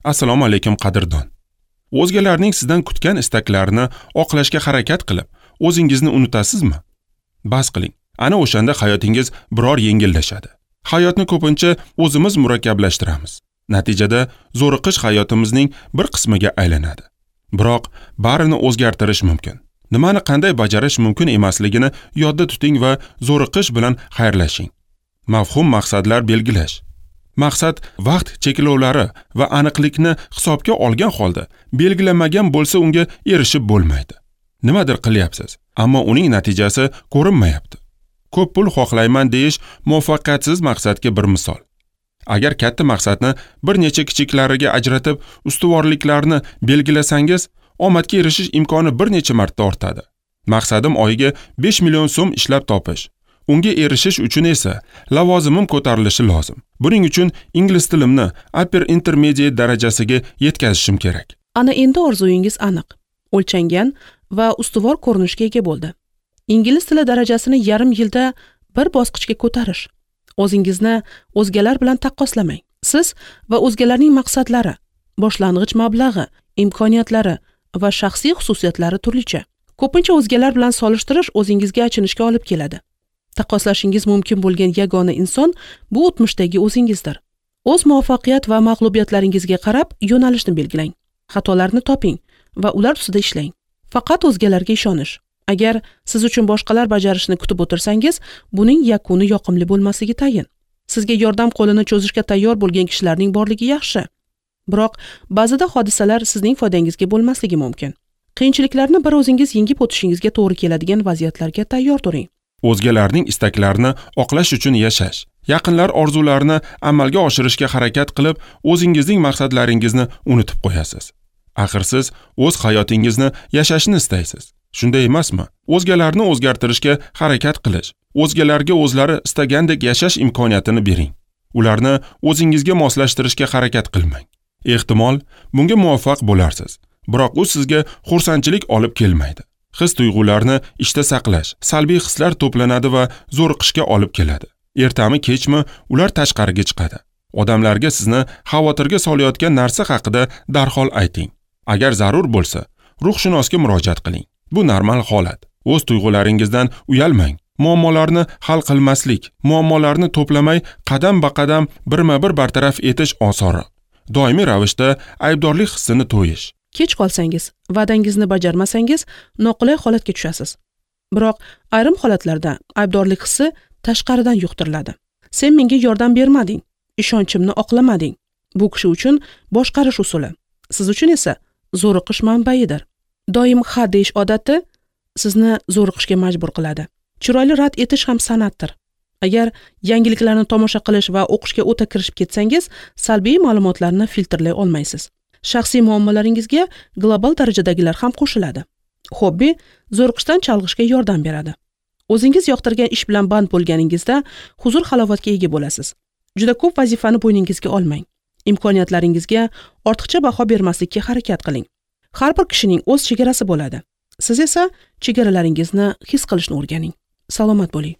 Assalomu alaykum qadrdon. O'zgalarning sizdan kutgan istaklarini oqlashga harakat qilib, o'zingizni unutasizmi? Bas qiling. Ana o'shanda hayotingiz biror yengillashadi. Hayotni ko'pincha o'zimiz murakkablashtiramiz. Natijada zo'riqish hayotimizning bir qismiga aylanadi. Biroq barini o'zgartirish mumkin. Nimani qanday bajarish mumkin emasligini yodda tuting va zo'riqish bilan xayrlashing. Mafhum maqsadlar belgilash. Maqsad vaqt cheklovlari va aniqlikni hisobga olgan holda belgilanmagan bo'lsa unga erishib bo'lmaydi. Nimadir qilyapsiz, ammo uning natijasi ko'rinmayapti. Ko'p pul xohlayman deyish muvaffaqiyatsiz maqsadga bir misol. Agar katta maqsadni bir necha kichiklariga ajratib, ustuvorliklarni belgilasangiz, omadga erishish imkoni bir necha marta ortadi. Maqsadim oyiga 5 million so'm ishlab topish. Unga erishish uchun esa lavozimim ko'tarilishi lozim. Buning uchun ingliz tilimni upper intermediate darajasiga yetkazishim kerak. Ana endi orzuyingiz aniq, o'lchangan va ustuvor ko'rinishga ega bo'ldi. Ingliz tili darajasini yarim yilda bir bosqichga ko'tarish. O'zingizni o'zgalar bilan taqqoslamang. Siz va o'zgalarning maqsadlari, boshlang'ich mablag'i, imkoniyatlari va shaxsiy xususiyatlari turlicha. Ko'pincha o'zgalar bilan solishtirish o'zingizga achinishga olib keladi. Taqqoslashingiz mumkin bo'lgan yagona inson bu o'tmishdagi o'zingizdir. O'z muvaffaqiyat va mag'lubiyatlaringizga qarab yo'nalishni belgilang. Xatolarni toping va ular ustida ishlang. Faqat o'zgalarga ishonish. Agar siz uchun boshqalar bajarishini kutib o'tirsangiz, buning yakuni yoqimli bo'lmasligi tayin. Sizga yordam qo'lini cho'zishga tayyor bo'lgan kishilarning borligi yaxshi. Biroq ba'zida hodisalar sizning foydangizga bo'lmasligi mumkin. Qiyinchiliklarni bir o'zingiz yengib o'tishingizga to'g'ri keladigan vaziyatlarga tayyor turing. O'zgalarning istaklarini oqlash uchun yashash, yaqinlar orzularini amalga oshirishga harakat qilib, o'zingizning maqsadlaringizni unutib qo'yasiz. Axir siz o'z hayotingizni yashashni istaysiz. Shunday emasmi? O'zgalarni o'zgartirishga harakat qilish, o'zgalarga o'zlari istagandek yashash imkoniyatini bering. Ularni o'zingizga moslashtirishga harakat qilmang. Ehtimol, bunga muvaffaq bo'larsiz, biroq u sizga xursandchilik olib kelmaydi. His tuyg'ularni ishda saqlash, salbiy hislar to'planadi va zo'riqishga olib keladi. Ertami kechmi ular tashqariga chiqadi. Odamlarga sizni xavotirga solayotgan narsa haqida darhol ayting. Agar zarur bo'lsa, ruhshunosga murojaat qiling. Bu normal holat. O'z tuyg'ularingizdan uyalmang. Muammolarni hal qilmaslik, muammolarni to'plamay qadam-ba-qadam birma-bir bartaraf etish osonroq. Doimiy ravishda aybdorlik hissini to'yish. Kech qolsangiz, va'dangizni bajarmasangiz, noqulay holatga tushasiz. Biroq ayrim holatlarda aybdorlik hissi tashqaridan yuqtiriladi. Sen menga yordam bermading, ishonchimni oqlamading. Bu kishi uchun boshqarish usuli, siz uchun esa zo'riqish manbaidir. Doim ha deyish odati sizni zo'riqishga majbur qiladi. Chiroyli rad etish ham san'atdir. Agar yangiliklarni tomosha qilish va o'qishga o'ta kirishib ketsangiz, salbiy ma'lumotlarni filtrlay olmaysiz. Shaxsiy muammolaringizga global darajadagilar ham qo'shiladi. Hobbi zo'riqishdan chalg'ishga yordam beradi. O'zingiz yoqtirgan ish bilan band bo'lganingizda huzur halovatga ega bo'lasiz. Juda ko'p vazifani bo'yningizga olmang. Imkoniyatlaringizga ortiqcha baho bermaslikka harakat qiling. Har bir kishining o'z chegarasi bo'ladi. Siz esa chegaralaringizni his qilishni o'rganing. Salomat bo'ling.